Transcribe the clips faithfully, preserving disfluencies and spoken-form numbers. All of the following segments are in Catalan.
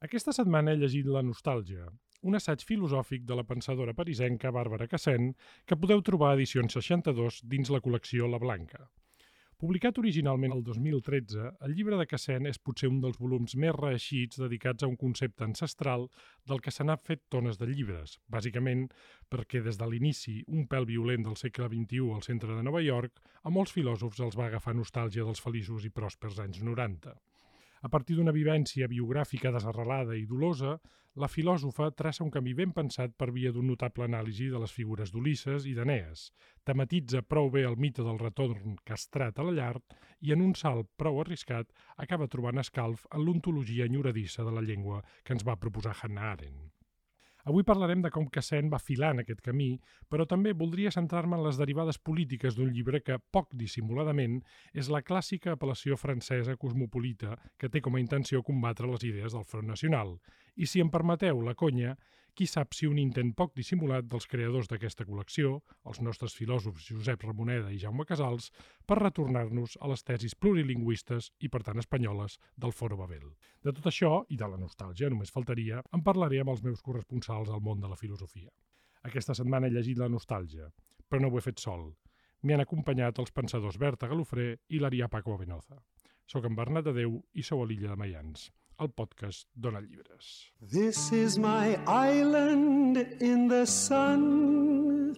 Aquesta setmana he llegit La nostàlgia, un assaig filosòfic de la pensadora parisenca Bàrbara Cassén que podeu trobar a Edicions seixanta-dos dins la col·lecció La Blanca. Publicat originalment el dos mil tretze, el llibre de Cassén és potser un dels volums més reeixits dedicats a un concepte ancestral del que se n'ha fet tones de llibres, bàsicament perquè des de l'inici, un pèl violent del segle vint-i-u al centre de Nova York, a molts filòsofs els va agafar nostàlgia dels feliços i pròspers anys noranta. A partir d'una vivència biogràfica desarrelada i dolosa, la filòsofa traça un camí ben pensat per via d'un notable anàlisi de les figures d'Ulisses i d'Enees, tematitza prou bé el mite del retorn castrat a la llar i en un salt prou arriscat acaba trobant escalf en l'ontologia enyoradissa de la llengua que ens va proposar Hannah Arendt. Avui parlarem de com Cassén va filant aquest camí, però també voldria centrar-me en les derivades polítiques d'un llibre que, poc dissimuladament, és la clàssica apel·lació francesa cosmopolita que té com a intenció combatre les idees del Front Nacional. I si em permeteu la conya, qui sap si un intent poc dissimulat dels creadors d'aquesta col·lecció, els nostres filòsofs Josep Ramoneda i Jaume Casals, per retornar-nos a les tesis plurilingüistes i, per tant, espanyoles del Foro Babel. De tot això, i de la nostàlgia, només faltaria, en parlaré amb els meus corresponsals al món de la filosofia. Aquesta setmana he llegit La nostàlgia, però no ho he fet sol. M'hi han acompanyat els pensadors Berta Galofré i l'Arià Paco Avenoza. Soc en Bernat Adeu i sou a l'Illa de Maians, el podcast Dona Llibres. This is my island in the sun,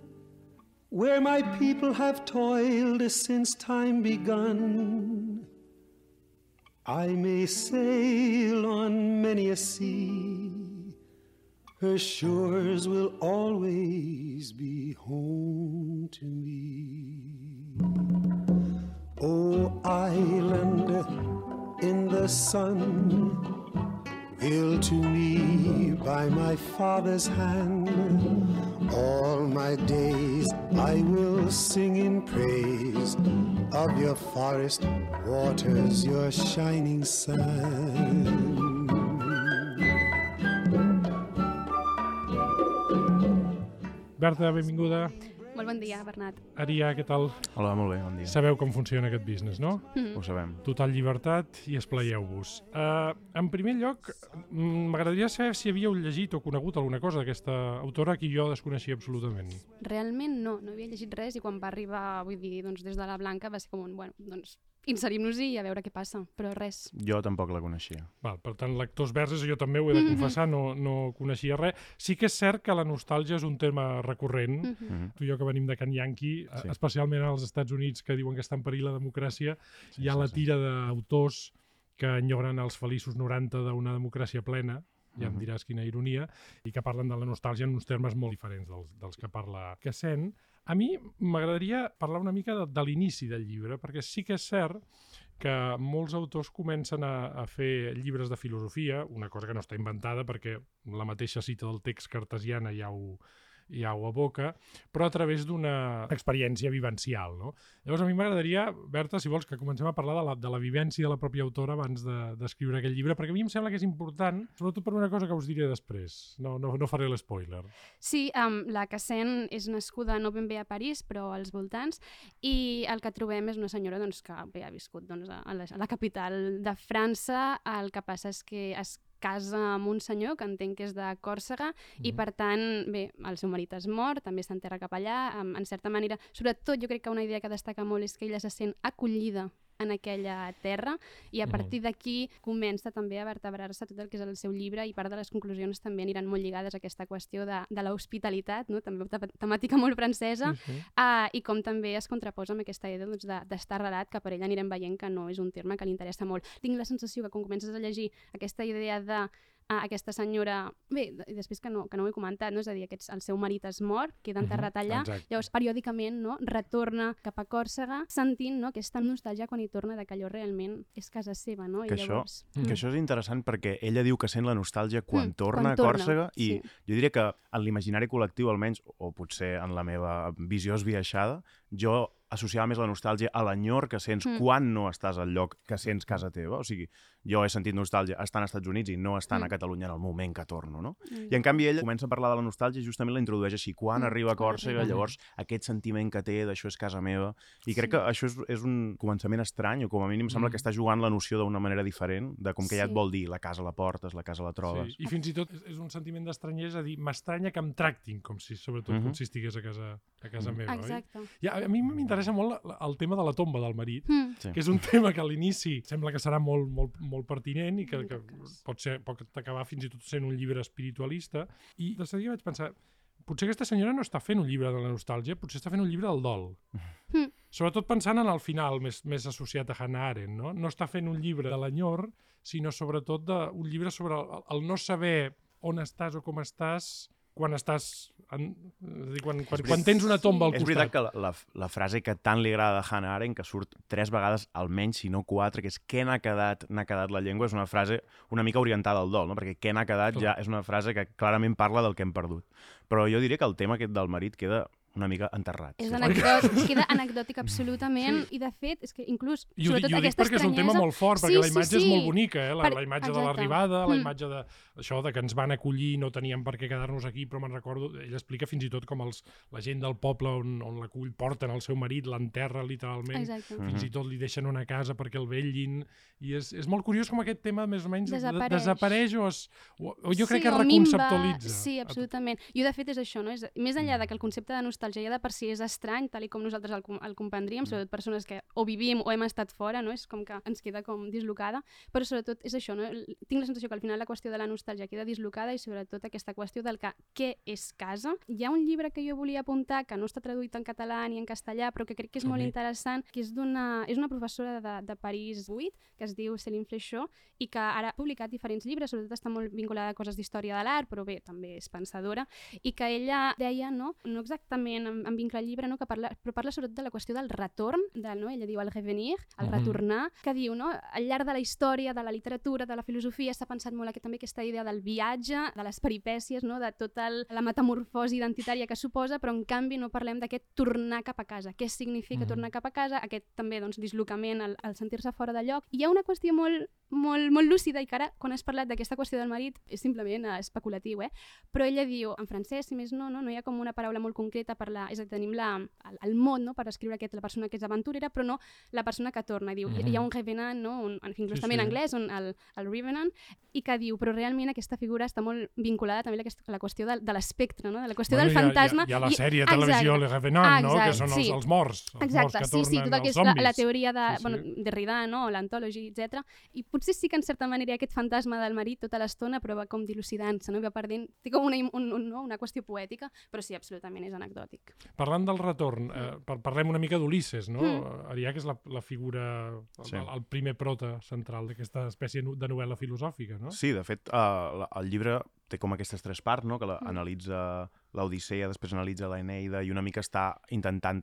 where my people have toiled since time begun. I may sail on many a sea, her shores will always be home to me. Oh, island in the sun, built to me by my father's hand, all my days I will sing in praise of your forest waters, your shining sun. Berta, benvinguda. Molt bon dia, Bernat. Arià, què tal? Hola, molt bé, bon dia. Sabeu com funciona aquest business, no? Mm. Ho sabem. Total llibertat i esplayeu-vos. Uh, en primer lloc, m'agradaria saber si havíeu llegit o conegut alguna cosa d'aquesta autora que jo desconeixia absolutament. Realment no, no havia llegit res i quan va arribar, vull dir, doncs des de la Blanca va ser com un, bueno, doncs inserim-nos-hi i a veure què passa, però res. Jo tampoc la coneixia. Val, per tant, lectors verges, jo també ho he de confessar, no, no coneixia res. Sí que és cert que la nostàlgia és un tema recurrent. Mm-hmm. Mm-hmm. Tu i jo que venim de Can Yankee, Sí. especialment als Estats Units, que diuen que està en perill la democràcia, Sí, hi ha sí, la sí. tira d'autors que enyoren els feliços noranta d'una democràcia plena, ja em Mhm. diràs quina ironia, i que parlen de la nostàlgia en uns termes molt diferents dels, dels que parla Cassén. A mi m'agradaria parlar una mica de, de l'inici del llibre, perquè sí que és cert que molts autors comencen a, a fer llibres de filosofia, una cosa que no està inventada perquè la mateixa cita del text cartesiana ja ho, ja ho aboca, però a través d'una experiència vivencial, no? Llavors a mi m'agradaria, Berta, si vols, que comencem a parlar de la, de la vivència de la pròpia autora abans d'escriure de, aquell llibre, perquè a mi em sembla que és important, sobretot per una cosa que us diré després. No, no, no faré l'espoiler. Sí, um, la Cassén és nascuda no ben bé a París, però als voltants, i el que trobem és una senyora doncs, que bé, ha viscut doncs, a, la, a la capital de França. El que passa és que es casa amb un senyor que entenc que és de Còrsega mm. i per tant, bé, el seu marit es mor, també s'enterra cap allà, en, en certa manera, sobretot jo crec que una idea que destaca molt és que ella se sent acollida en aquella terra i a partir d'aquí comença també a vertebrar-se tot el que és el seu llibre i part de les conclusions també aniran molt lligades a aquesta qüestió de, de l'hospitalitat, no? També una temàtica molt francesa, sí, sí. Uh, i com també es contraposa amb aquesta idea doncs, d'estar arrelat, que per ell anirem veient que no és un terme que li interessa molt. Tinc la sensació que quan comences a llegir aquesta idea de Uh, aquesta senyora, bé, i després que no, que no ho he comentat, no? És a dir, aquests, el seu marit es mor, queda enterrat allà, Exacte. Llavors periòdicament no? retorna cap a Còrsega sentint no? aquesta nostàlgia quan hi torna de que allò realment és casa seva, no? Que, I llavors... això, mm. que això és interessant perquè ella diu que sent la nostàlgia quan Mm, torna quan a Còrsega torna, i sí. jo diria que en l'imaginari col·lectiu almenys, o potser en la meva visió esbiaixada, jo associava més la nostàlgia a l'enyor que sents Mm. quan no estàs al lloc que sents casa teva. O sigui, jo he sentit nostàlgia estant als Estats Units i no estant mm. a Catalunya en el moment que torno, no? Mm. I en canvi ell comença a parlar de la nostàlgia i justament la introdueix així, quan mm. arriba a Còrsega, llavors aquest sentiment que té d'això és casa meva, i crec sí. que això és, és un començament estrany, o com a mínim sembla mm. que està jugant la noció d'una manera diferent, de com que ja et vol dir, la casa la portes, la casa la trobes. Sí. I fins i tot és un sentiment d'estranyesa, és a dir, m'estranya que em tractin com si sobretot mm-hmm. com si estigués a casa, a casa mm. meva, Exacte. oi? I a, a mi m'interessa molt el tema de la tomba del marit, mm. sí. que és un tema que a l'inici sembla que serà molt, molt, molt pertinent i que, que pot, ser, pot acabar fins i tot sent un llibre espiritualista. I de seguida vaig pensar, potser aquesta senyora no està fent un llibre de la nostàlgia, potser està fent un llibre del dol. Mm. Sobretot pensant en el final, més, més associat a Hannah Arendt, no? No està fent un llibre de l'enyor, sinó sobretot de, un llibre sobre el, el no saber on estàs o com estàs quan estàs... En, és a dir, quan, quan, quan tens una tomba al costat. És veritat que la, la, la frase que tant li agrada de Hannah Arendt, que surt tres vegades almenys, si no quatre, que és què n'ha quedat, n'ha quedat la llengua, és una frase una mica orientada al dol, no? Perquè què n'ha quedat ja és una frase que clarament parla del que hem perdut. Però jo diria que el tema aquest del marit queda una mica enterrat. És anecdòtic, queda anecdòtic absolutament, sí. I de fet, és que inclús, I ho, sobretot i ho aquesta dic perquè estranyesa... és un tema molt fort, perquè sí, la imatge sí, sí. és molt bonica, eh? la, per... la imatge Exacte. de l'arribada, la mm. imatge de això de que ens van acollir, no teníem per què quedar-nos aquí, però me'n recordo, ell explica fins i tot com els, la gent del poble on, on l'acull porten el seu marit, l'enterra literalment, Exacte. fins mm-hmm. i tot li deixen una casa perquè el vetllin, i és, és molt curiós com aquest tema més o menys desapareix, desapareix o, es, o, o jo sí, crec que es reconceptualitza. Sí, absolutament. I de fet és això, no? És, més enllà de que el concepte de nostàlgia ja de per si és estrany, tal i com nosaltres el, el comprendríem, sobretot persones que o vivim o hem estat fora, no? És com que ens queda com dislocada, però sobretot és això, no? Tinc la sensació que al final la qüestió de la nostàlgia queda dislocada i sobretot aquesta qüestió del que què és casa. Hi ha un llibre que jo volia apuntar que no està traduït en català ni en castellà, però que crec que és molt interessant, que és d'una és una professora de, de París vuit, que es diu Céline Fléchot, i que ara ha publicat diferents llibres, sobretot està molt vinculada a coses d'història de l'art, però bé, també és pensadora, i que ella deia, no, no exactament en, en vincle al llibre, no, que parla, però parla sobretot de la qüestió del retorn, del, no, ella diu el revenir, el mm-hmm. retornar, que diu, no, al llarg de la història, de la literatura, de la filosofia, s'ha pensat molt aquí, també aquesta idea del viatge, de les peripècies, no, de tota la metamorfosi identitària que suposa, però en canvi no parlem d'aquest tornar cap a casa. Què significa mm-hmm. tornar cap a casa? Aquest també, doncs, dislocament, el, el sentir-se fora de lloc. Hi ha una qüestió molt, molt, molt lúcida i que ara, quan has parlat d'aquesta qüestió del marit, és simplement uh, especulatiu, eh? Però ella diu, en francès, si més no, no, no hi ha com una paraula molt concreta per la... És a dir, tenim la, el, el mot, no?, per escriure aquest, la persona que és aventurera, però no la persona que torna. I diu, mm-hmm. hi ha un revenant, no?, un, inclús sí, també sí. en anglès, un, el, el revenant, i que diu, però realment aquesta figura està molt vinculada també a aquesta, a la qüestió de, de l'espectre, no?, de la qüestió bueno, del fantasma. Hi ha, hi ha la sèrie de televisió Le Revenant, no?, que són els, sí. els morts, els Exacte, morts que sí, sí, tot el que és la, la teoria de, sí, sí. bueno, Derrida, no?, l'antology, etcètera. I potser sí que en certa manera hi ha aquest fantasma del marit tota l'estona, però va com dilucidant-se, no?, va perdent, té com una, un, un, no? una qüestió poètica, però sí, absolutament és anecdòtic. Parlant del retorn, eh, parlem una mica d'Ulisses, no? Mm. Ariac és la, la figura, el, sí. el primer prota central d'aquesta espècie de novel·la filosòfica, no? Sí, de fet, uh, el llibre té com aquestes tres parts, no?, que la, mm. analitza l'Odissea, després analitza l'Eneida i una mica està intentant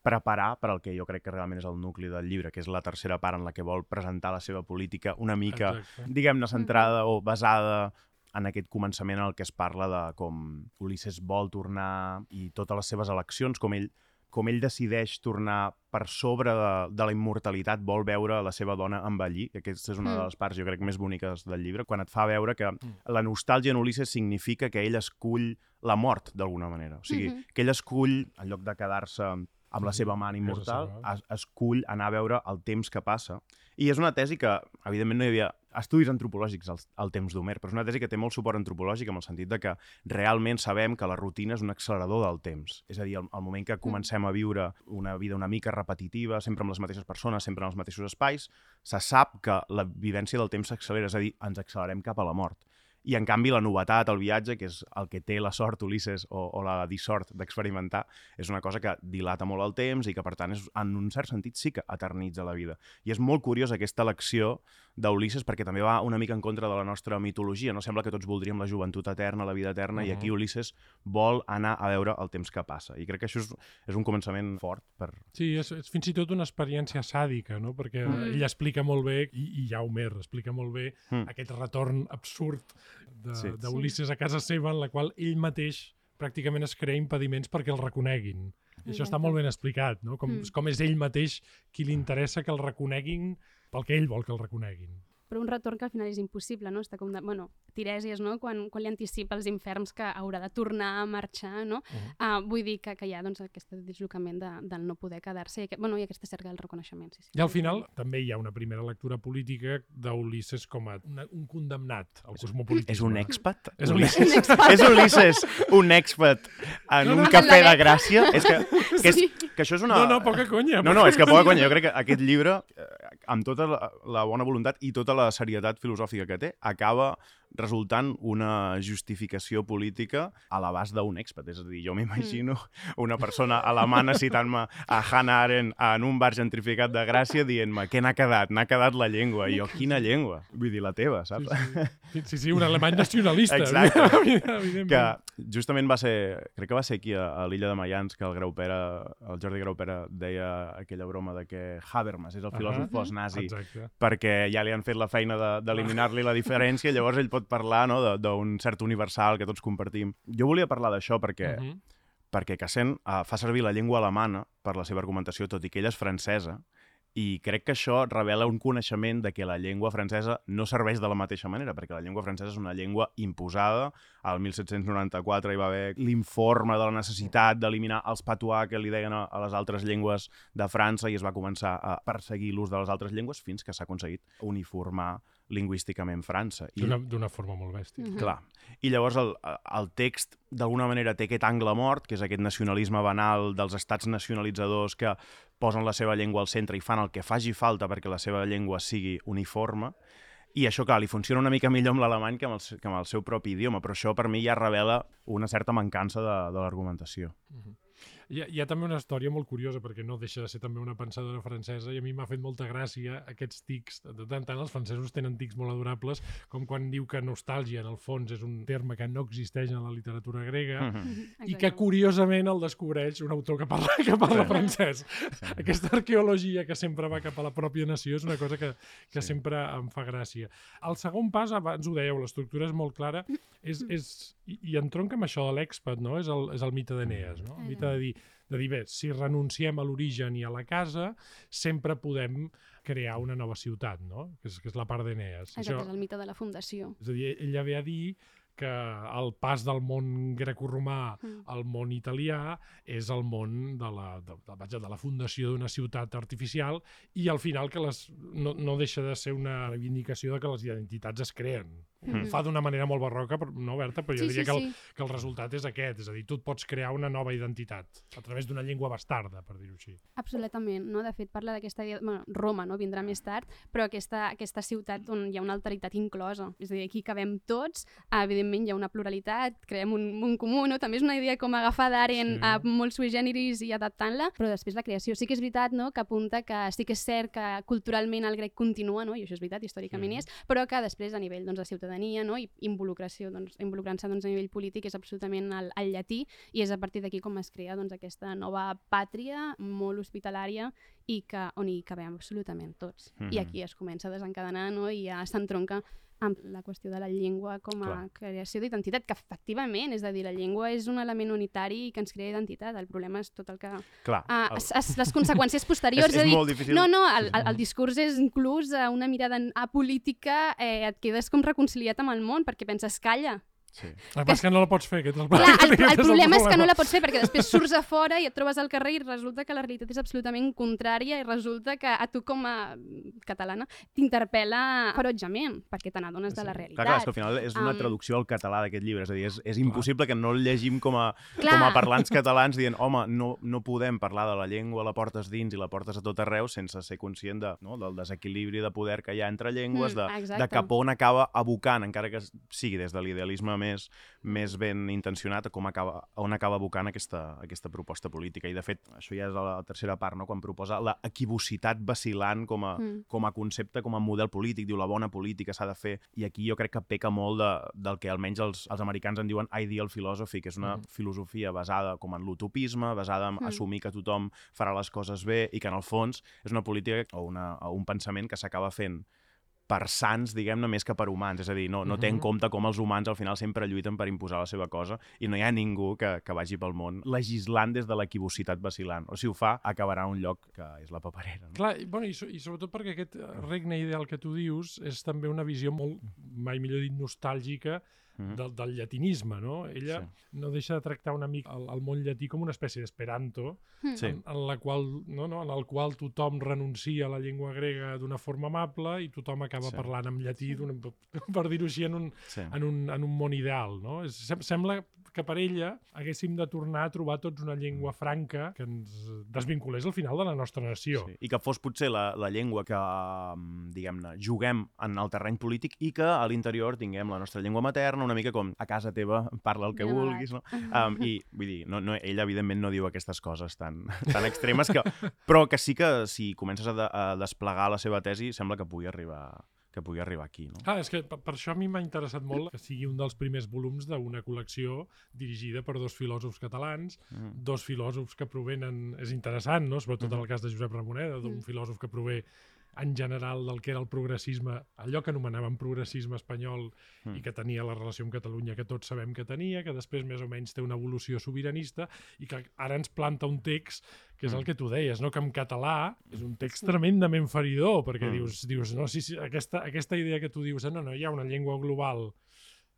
preparar per al que jo crec que realment és el nucli del llibre, que és la tercera part en la que vol presentar la seva política una mica, exacte. Diguem-ne, centrada o basada en aquest començament en el que es parla de com Ulisses vol tornar i totes les seves eleccions, com ell com ell decideix tornar per sobre de, de la immortalitat, vol veure la seva dona envellir, que aquesta és una mm. de les parts, jo crec, més boniques del llibre, quan et fa veure que mm. la nostàlgia en Ulisses significa que ell escull la mort, d'alguna manera. O sigui, mm-hmm. que ell escull, en lloc de quedar-se amb la seva amant immortal, es, escull anar a veure el temps que passa. I és una tesi que, evidentment, no hi havia estudis antropològics al, al temps d'Homer, però és una tesi que té molt suport antropològic en el sentit de que realment sabem que la rutina és un accelerador del temps. És a dir, al, al moment que comencem a viure una vida una mica repetitiva, sempre amb les mateixes persones, sempre en els mateixos espais, se sap que la vivència del temps s'accelera, és a dir, ens accelerem cap a la mort. I, en canvi, la novetat, el viatge, que és el que té la sort Ulisses o, o la dissort d'experimentar, és una cosa que dilata molt el temps i que, per tant, és, en un cert sentit sí que eternitza la vida. I és molt curiosa aquesta elecció d'Ulisses perquè també va una mica en contra de la nostra mitologia. No sembla que tots voldríem la joventut eterna, la vida eterna, uh-huh. i aquí Ulisses vol anar a veure el temps que passa. I crec que això és, és un començament fort. Per... Sí, és, és fins i tot una experiència sàdica, no? Perquè mm. ell explica molt bé, i, i ja Homer explica molt bé, mm. aquest retorn absurd d'Ulisses sí. a casa seva, en la qual ell mateix pràcticament es crea impediments perquè el reconeguin. I això està molt ben explicat, no? Com, mm. com és ell mateix qui li interessa que el reconeguin pel que ell vol que el reconeguin. però un retorn que al final és impossible, no? Està com de, bueno, Tirèsies, no? Quan, quan li anticipa als inferms que haurà de tornar a marxar, no? Uh-huh. uh, vull dir que, que hi ha doncs, aquest deslocament de, del no poder quedar-se i, aquest, bueno, i aquesta cerca del reconeixement. Sí, sí. I al final també hi ha una primera lectura política d'Ulisses com a una, un condemnat al cosmopolitisme. És un expat? És un Ulisses, és Ulisses un expat en no, no, un cafè de Gràcia? És que, que, és, Sí. que això és una... No, no, poca conya. No, no, és que poca conya. Jo crec que aquest llibre, amb tota la, la bona voluntat i tota la serietat filosòfica que té, acaba resultant una justificació política a l'abast d'un expat. És a dir, jo m'imagino una persona alemana citant-me a Hannah Arendt en un bar gentrificat de Gràcia dient-me què n'ha quedat? N'ha quedat la llengua. I jo, quina llengua? Vull dir, la teva, saps? Sí, sí, sí, un alemany nacionalista. Exacte. Que justament va ser, crec que va ser aquí a, a l'illa de Mayans que el Graupera, el Jordi Graupera deia aquella broma de que Habermas és el filòsof uh-huh. post-nazi Exacte. perquè ja li han fet la feina d'eliminar-li de, la diferència i llavors ell pot parlar no, d'un cert universal que tots compartim. Jo volia parlar d'això perquè, uh-huh. perquè Cassén uh, fa servir la llengua alemana per la seva argumentació, tot i que ella és francesa, i crec que això revela un coneixement de que la llengua francesa no serveix de la mateixa manera, perquè la llengua francesa és una llengua imposada. Al mil set-cents noranta-quatre hi va haver l'informe de la necessitat d'eliminar els patois que li deien a, a les altres llengües de França i es va començar a perseguir l'ús de les altres llengües fins que s'ha aconseguit uniformar lingüísticament França. D'una forma molt bèstia. Mhm. Clar. I llavors el, el text d'alguna manera té aquest angle mort, que és aquest nacionalisme banal dels estats nacionalitzadors que posen la seva llengua al centre i fan el que faci falta perquè la seva llengua sigui uniforme. I això, clar, li funciona una mica millor amb l'alemany que, que amb el seu propi idioma, però això per mi ja revela una certa mancança de, de l'argumentació. Uh-huh. Hi ha, hi ha també una història molt curiosa, perquè no deixa de ser també una pensadora francesa, i a mi m'ha fet molta gràcia aquests tics. De tant en tant els francesos tenen tics molt adorables, com quan diu que nostàlgia, en el fons, és un terme que no existeix en la literatura grega, Mm-hmm. i que curiosament el descobreix un autor que parla, que parla sí. francès. Sí. Aquesta arqueologia que sempre va cap a la pròpia nació és una cosa que, que sí. sempre em fa gràcia. El segon pas, abans ho dèieu, l'estructura és molt clara, és, és, i, i entronca amb això de l'expat, no? És el, és el mite d'Enees, no? El mite de dir, de dir, bé, si renunciem a l'origen i a la casa, sempre podem crear una nova ciutat, no? Que és, que és la part d'Enees. Exacte, és el mite de la fundació. És a dir, ella ve a dir que el pas del món grecoromà mm. al món italià és el món de la, de, de, de la fundació d'una ciutat artificial i al final que les, no, no deixa de ser una reivindicació de que les identitats es creen. Mm. Fa d'una manera molt barroca, no, Berta? Però jo sí, diria sí, que, el, sí. que el resultat és aquest, és a dir, tu et pots crear una nova identitat a través d'una llengua bastarda, per dir-ho així. Absolutament, no? De fet, parla d'aquesta... Bueno, Roma, no? Vindrà més tard, però aquesta, aquesta ciutat on hi ha una alteritat inclosa. És a dir, aquí cabem tots, evidentment hi ha una pluralitat, creem un món comú, no? També és una idea com agafar d'Arendt sí. a molt sui generis i adaptant-la, però després la creació sí que és veritat, no? Que apunta que sí que és cert que culturalment el grec continua, no? I això és veritat, històricament sí. és, però que després a nivell doncs, de ciutadania, no? I involucració, doncs, involucrant-se doncs, a nivell polític és absolutament el, el llatí i és a partir d'aquí com es crea doncs, aquesta nova pàtria molt hospitalària i que, on hi cabem absolutament tots. Mm-hmm. I aquí es comença a desencadenar, no? I ja s'entronca amb la qüestió de la llengua com a Clar. creació d'identitat, que efectivament, és a dir, la llengua és un element unitari que ens crea identitat. El problema és tot el que... Clar, ah, el... es, es, les conseqüències posteriors. és, és, és dir, molt difícil. No, no, el, el, el discurs és inclús una mirada apolítica, eh, et quedes com reconciliat amb el món perquè penses, calla. Sí. El que és que no la pots fer, aquest és el, Clar, el, el, el problema és que no la pots fer perquè després surts a fora i et trobes al carrer i resulta que la realitat és absolutament contrària i resulta que a tu com a catalana t'interpel·la ferotgement perquè te n'adones sí. de la realitat. Clar, clar, és que al final és una um... traducció al català d'aquest llibre, és a dir, és, és impossible que no el llegim com a, com a parlants catalans dient, home, no, no podem parlar de la llengua, la portes dins i la portes a tot arreu sense ser conscient de, no, del desequilibri de poder que hi ha entre llengües, de, mm, de cap on acaba abocant, encara que sigui des de l'idealisme més, més ben intencionat, com acaba, on acaba abocant aquesta, aquesta proposta política. I, de fet, això ja és la tercera part, no? Quan proposa la equivocitat vacil·lant com a, mm. com a concepte, com a model polític. Diu, la bona política s'ha de fer. I aquí jo crec que peca molt de, del que almenys els, els americans en diuen ideal philosophy, que és una mm. filosofia basada com en l'utopisme, basada en mm. assumir que tothom farà les coses bé i que, en el fons, és una política o, una, o un pensament que s'acaba fent per sants, diguem-ne, més que per humans. És a dir, no, no té en compte com els humans al final sempre lluiten per imposar la seva cosa i no hi ha ningú que, que vagi pel món legislant des de l'equivocitat vacilant. O si ho fa, acabarà a un lloc que és la paperera. No? Clar, i, bueno, i, so, i sobretot perquè aquest regne ideal que tu dius és també una visió molt, mai millor dit, nostàlgica Mm-hmm. del, del llatinisme, no? Ella sí. no deixa de tractar una mica el, el món llatí com una espècie d'esperanto, sí. en, en, la qual, no, no, en el qual tothom renuncia a la llengua grega d'una forma amable i tothom acaba sí. parlant en llatí, sí. per dir-ho així, en un, sí. en, un, en un món ideal. No? És, sembla que per ella haguéssim de tornar a trobar tots una llengua franca que ens desvinculés al final de la nostra nació. Sí. I que fos potser la, la llengua que, diguem-ne, juguem en el terreny polític i que a l'interior tinguem la nostra llengua materna, una mica com a casa teva, parla el que ja vulguis, no? Um, I, vull dir, no, no, ella evidentment no diu aquestes coses tan, tan extremes, que, però que sí que si comences a, de, a desplegar la seva tesi sembla que pugui arribar que pugui arribar aquí. No? Ah, és que per, per això a mi m'ha interessat molt que sigui un dels primers volums d'una col·lecció dirigida per dos filòsofs catalans, mm. dos filòsofs que provenen, és interessant, no? Sobretot mm. en el cas de Josep Ramoneda, d'un mm. filòsof que prové en general del que era el progressisme, allò que anomenaven progressisme espanyol mm. i que tenia la relació amb Catalunya que tots sabem que tenia, que després més o menys té una evolució sobiranista i que ara ens planta un text que és mm. el que tu deies, no? Que en català és un text tremendament feridor, perquè mm. dius, dius no, sí, sí, aquesta, aquesta idea que tu dius, no, no, hi ha una llengua global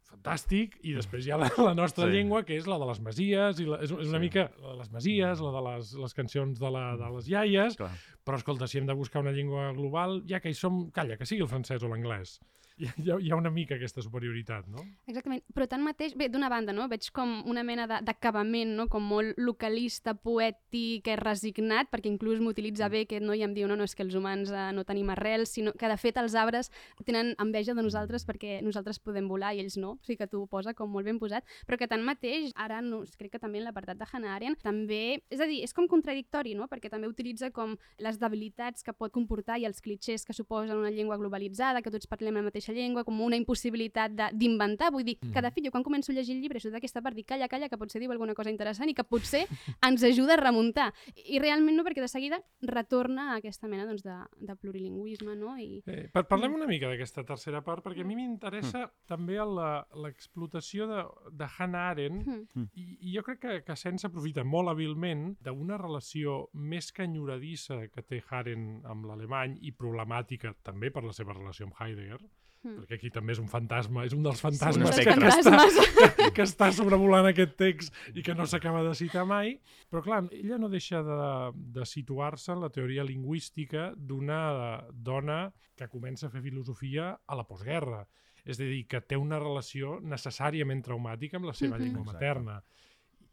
fantàstic, i després hi ha la, la nostra sí. llengua, que és la de les masies, i la, és, és una sí. mica la de les masies, la de les, les cancions de, la, de les iaies, clar. Però escolta, si hem de buscar una llengua global, ja que hi som, calla, que sigui el francès o l'anglès. Hi ha, hi ha una mica aquesta superioritat, no? Exactament, però tanmateix, bé, d'una banda, no? Veig com una mena d'acabament, no? Com molt localista, poètic, resignat, perquè inclús m'utilitza bé que no hi em diu, no, no és que els humans eh, no tenim arrels, sinó que de fet els arbres tenen enveja de nosaltres perquè nosaltres podem volar i ells no, o sigui que tu ho posa com molt ben posat, però que tanmateix, ara no, crec que també en l'apartat de Hannah Arendt, també, és a dir, és com contradictori, no? Perquè també utilitza com les debilitats que pot comportar i els clixés que suposen una llengua globalitzada, que tots parlem la mateixa llengua, com una impossibilitat d'inventar. Vull dir, mm. que de fet jo quan començo a llegir el llibre surt d'aquesta part, dic, calla, calla, que potser diu alguna cosa interessant i que potser ens ajuda a remuntar. I realment no, perquè de seguida retorna a aquesta mena doncs, de, de plurilingüisme, no? I... Eh, per, parlem una mica d'aquesta tercera part, perquè a mi m'interessa mm. també l'explotació de, de Hannah Arendt, mm. i, i jo crec que, que Sen s'aprofita molt hàbilment d'una relació més que enyoradissa que té Arendt amb l'alemany i problemàtica també per la seva relació amb Heidegger, Mm. perquè aquí també és un fantasma, és un dels fantasmes, sí, que, que, està, que, que està sobrevolant aquest text i que no s'acaba de citar mai, però clar, ella no deixa de, de situar-se en la teoria lingüística d'una dona que comença a fer filosofia a la postguerra, és a dir, que té una relació necessàriament traumàtica amb la seva mm-hmm. llengua materna.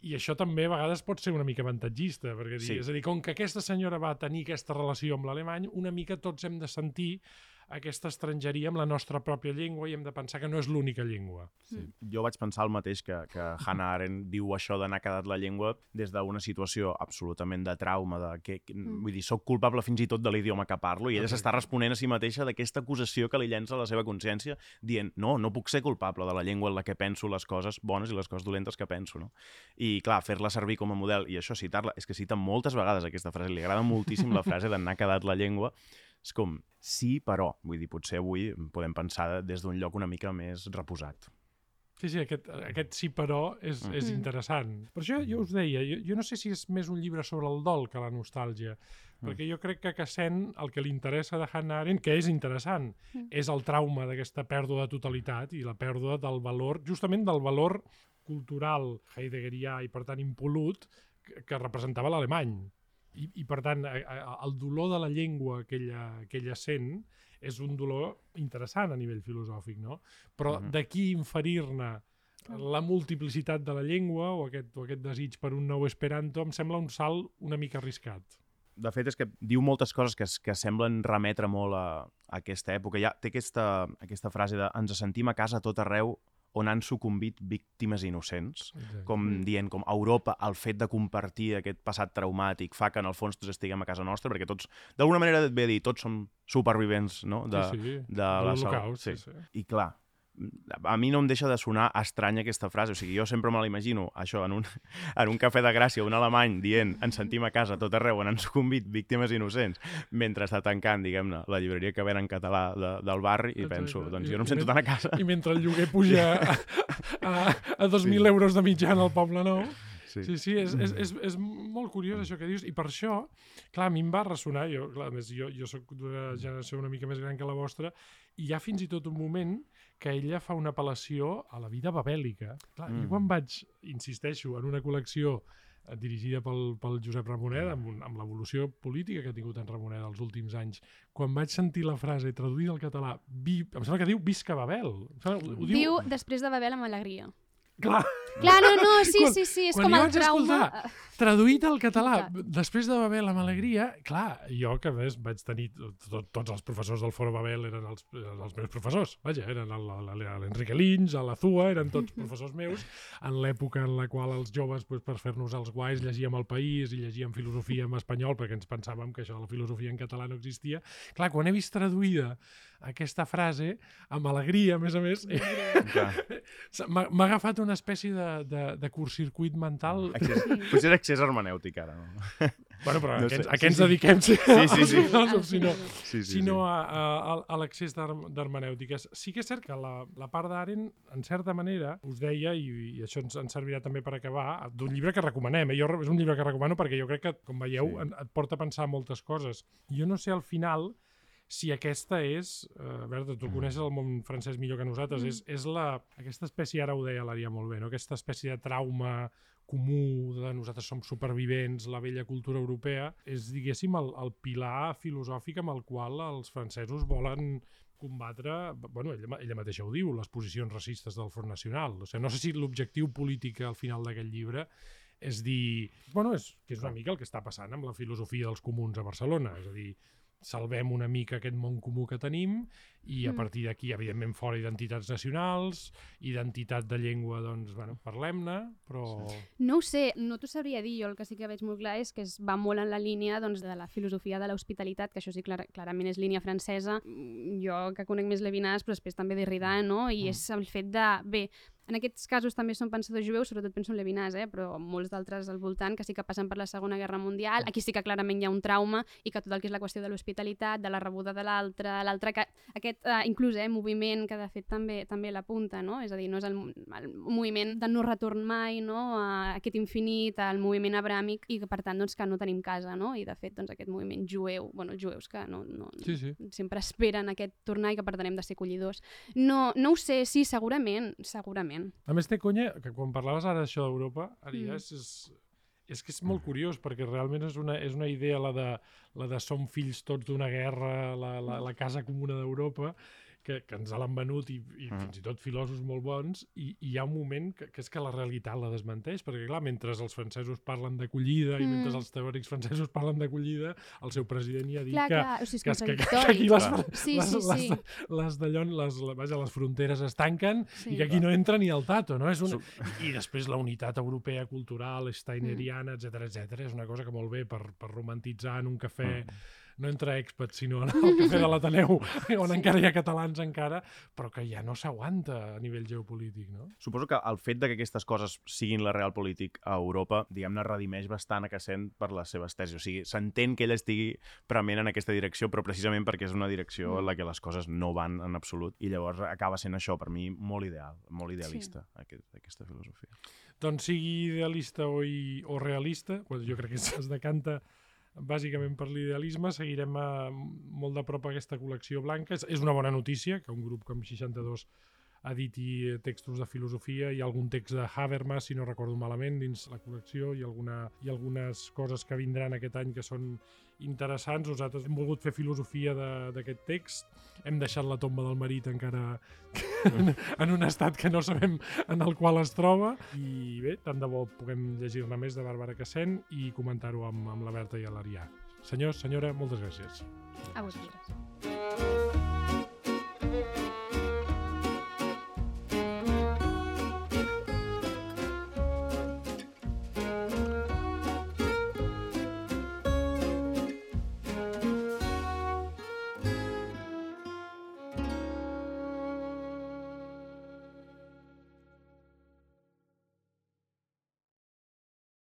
I això també a vegades pot ser una mica avantatgista, perquè sí. és a dir, com que aquesta senyora va tenir aquesta relació amb l'alemany, una mica tots hem de sentir aquesta estrangeria amb la nostra pròpia llengua i hem de pensar que no és l'única llengua. Sí. Jo vaig pensar el mateix, que, que Hannah Arendt diu això d'anar quedat la llengua des d'una situació absolutament de trauma, de que, que mm. vull dir, soc culpable fins i tot de l'idioma que parlo, i ella okay. s'està responent a si mateixa d'aquesta acusació que li llença a la seva consciència, dient, no, no puc ser culpable de la llengua en la que penso les coses bones i les coses dolentes que penso, no? I clar, fer-la servir com a model, i això citar-la, és que cita moltes vegades aquesta frase, li agrada moltíssim la frase d'anar quedat la llengua. És com, sí, però. Vull dir, potser avui podem pensar des d'un lloc una mica més reposat. Sí, sí, aquest, aquest sí, però és, mm. és interessant. Per això jo us deia, jo, jo no sé si és més un llibre sobre el dol que la nostàlgia, mm. perquè jo crec que a Sen el que li interessa de Hannah Arendt, que és interessant, mm. és el trauma d'aquesta pèrdua de totalitat i la pèrdua del valor, justament del valor cultural heideggerià i, per tant, impolut, que, que representava l'alemany. I, i per tant, el dolor de la llengua que ella, que ella sent és un dolor interessant a nivell filosòfic, no? Però uh-huh. d'aquí inferir-ne la multiplicitat de la llengua o aquest, o aquest desig per un nou esperanto em sembla un salt una mica arriscat. De fet, és que diu moltes coses que, que semblen remetre molt a, a aquesta època. Ja té aquesta, aquesta frase de ens sentim a casa a tot arreu on han sucumbit víctimes innocents, exacte. Com dient, com a Europa, el fet de compartir aquest passat traumàtic fa que en el fons tots estiguem a casa nostra, perquè tots, d'alguna manera et ve a dir, tots som supervivents, no? De, sí, sí. de, de l'Holocaust. Sí. Sí, sí. I clar, a mi no em deixa de sonar estranya aquesta frase. O sigui, jo sempre me l'imagino, això, en un, en un cafè de Gràcia, un alemany dient ens sentim a casa tot arreu on han sucumbit víctimes innocents, mentre està tancant, diguem-ne, la llibreria que ven en català de, del barri, i penso, doncs jo no em sento tan a casa. I mentre el lloguer puja a, a, a dos mil sí. euros de mitjana al Poble Nou. Sí, sí, sí és, és, és, és molt curiós això que dius, i per això, clar, a mi em va ressonar, jo, clar, a més, jo, jo soc d'una generació una mica més gran que la vostra, i hi ha fins i tot un moment que ella fa una apel·lació a la vida babèlica. Clar, mm. jo quan vaig, insisteixo, en una col·lecció dirigida pel, pel Josep Ramonet, amb, un, amb l'evolució política que ha tingut en Ramonet els últims anys, quan vaig sentir la frase traduïda al català, vi, em sembla que diu Visca Babel. Sembla, ho diu... diu després de Babel amb alegria. Clar. Clar, no, no, sí, sí, sí, és quan com el trauma. Escoltar, traduït al català, després de Babel amb alegria, clar, jo que a més vaig tenir, tot, tots els professors del Foro Babel eren els, eren els meus professors, vaja, eren l'Enrique Lins, l'Azua, eren tots professors meus, en l'època en la qual els joves, pues, per fer-nos els guais, llegíem El País i llegíem filosofia en espanyol, perquè ens pensàvem que això de la filosofia en català no existia. Clar, quan he vist traduïda aquesta frase, amb alegria, a més a més, m'ha agafat una espècie de, de, de curtcircuit mental. Accés, potser és accés hermenèutic, ara. No? Bueno, però no a, què, sé. a què ens dediquem? Sí, sí, sí. sí. Filòsofs, sinó, sí, sí, sinó sí. a, a, a l'accés d'hermenèutiques. Sí que és cert que la, la part d'Arendt, en certa manera, us deia, i, i això ens, ens servirà també per acabar, d'un llibre que recomanem. Eh? Jo, és un llibre que recomano perquè jo crec que, com veieu, sí. et porta a pensar moltes coses. Jo no sé al final si aquesta és, eh, Berta, tu coneixes el món francès millor que nosaltres, mm. és, és la, aquesta espècie, ara ho deia l'Aria molt bé, no? Aquesta espècie de trauma comú, de nosaltres som supervivents, la vella cultura europea, és, diguéssim, el, el pilar filosòfic amb el qual els francesos volen combatre, bueno, ella, ella mateixa ho diu, les posicions racistes del Front Nacional. O sigui, no sé si l'objectiu polític al final d'aquest llibre és dir, bueno, és, que és una mica el que està passant amb la filosofia dels comuns a Barcelona, és a dir, salvem una mica aquest món comú que tenim i a partir d'aquí, evidentment, fora identitats nacionals, identitat de llengua, doncs, bueno, parlem-ne, però... No ho sé, no t'ho sabria dir. Jo el que sí que veig molt clar és que es va molt en la línia, doncs, de la filosofia de l'hospitalitat, que això sí, clar, clarament és línia francesa. Jo, que conec més Levinas, però després també Derrida, no? I és el fet de... Bé, en aquests casos també són pensadors jueus, sobretot penso en Levinas, eh? Però molts d'altres al voltant que sí que passen per la Segona Guerra Mundial. Aquí sí que clarament hi ha un trauma i que tot el que és la qüestió de l'hospitalitat, de la rebuda de l'altre, l'altre que aquest uh, inclús eh, moviment que de fet també també l'apunta, no? És a dir, no és el, el moviment de no retorn mai, no? A aquest infinit, al moviment abràmic i que per tant doncs, que no tenim casa, no? I de fet doncs, aquest moviment jueu, bueno, els jueus que no, no, sí, sí. sempre esperen aquest tornar i que per tant hem de ser acollidors. No, no ho sé, sí, segurament, segurament. A més té conya, que quan parlaves ara d'això d'Europa, ara ja Mm. és, és, és que és molt curiós, perquè realment és una, és una idea la de, la de som fills tots d'una guerra, la, la, la casa comuna d'Europa, que, que ens l'han venut i, i Mm. fins i tot filòsofs molt bons, i, i hi ha un moment que, que és que la realitat la desmenteix, perquè clar, mentre els francesos parlen d'acollida i Mm. mentre els teòrics francesos parlen d'acollida, el seu president ja ha dit Clar, que, clar, o sigui, és que, que, que contradictori. aquí les, Sí, les, sí, sí. les, les, d'allò, les, vaja, les fronteres es tanquen Sí. i que aquí no entra ni el tato, no? És una... I després la unitat europea cultural, steineriana, etcètera, etcètera, és una cosa que molt bé per, per romantitzar en un cafè, no entre expats, sinó en el cafè de l'Ateneu, on Sí. encara hi ha catalans encara, però que ja no s'aguanta a nivell geopolític, no? Suposo que el fet de que aquestes coses siguin la real polític a Europa, diguem-ne, redimeix bastant a Cassén per les seves tesis. O sigui, s'entén que ell estigui prement en aquesta direcció, però precisament perquè és una direcció en la que les coses no van en absolut, i llavors acaba sent això, per mi, molt ideal, molt idealista, sí. aquest, aquesta filosofia. Doncs sigui idealista o, i, o realista, doncs jo crec que es decanta bàsicament per l'idealisme, seguirem a, molt de prop aquesta col·lecció blanca. És, és una bona notícia que un grup com seixanta-dos editi textos de filosofia i algun text de Habermas, si no recordo malament, dins la col·lecció, i, alguna, i algunes coses que vindran aquest any que són interessants. Nosaltres hem volgut fer filosofia d'aquest text, hem deixat la tomba del marit encara en, en un estat que no sabem en el qual es troba, i bé, tant de bo puguem llegir-ne més de Bàrbara Cassén i comentar-ho amb, amb la Berta i l'Arià. Senyors, senyora, moltes gràcies. A vosaltres.